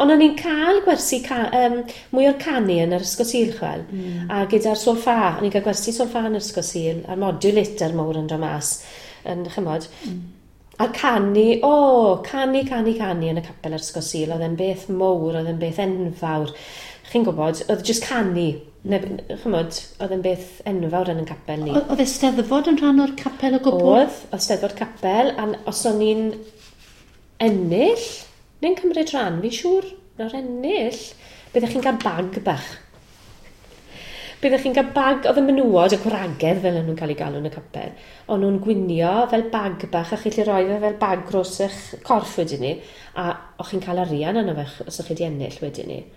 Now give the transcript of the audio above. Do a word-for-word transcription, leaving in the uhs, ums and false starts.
Ond o'n i'n cael gwersi ca um, mwy o'r canu yn yr ysgol Sul, chwel. Mm. A gyda'r solfa, o'n i'n cael gwersi solfa yn yr ysgol Sul, a'r modulator mowr yn dod mas, yn, chymod. Mm. A canu, o, oh, canu, canu, canu yn y capel yr ysgol Sul, oedd e'n beth mowr, oedd e'n beth enfawr. Chi'n gwybod, oedd jyst canu, ne, chymod, oedd e'n beth enfawr yn y capel ni. Oedd Eisteddfod yn rhan o'r capel o gwbl? Oedd, oedd Steddfod capel, a os o'n i'n ennill, neu'n cymryd rhan, fi'n siŵr, na'r ennill, byddech chi'n cael bag bach. Byddech chi'n cael bag, oedd y menywod, y gwragedd fel o'n nhw'n cael ei galw yn y capel, o'n nhw'n gwinio fel bag bach, a chi'n gallu rhoi fe fel bag dros eich corff wedyn ni, a o'ch chi'n cael arian yno fe os o'ch chi wedi ennill wedyn ni.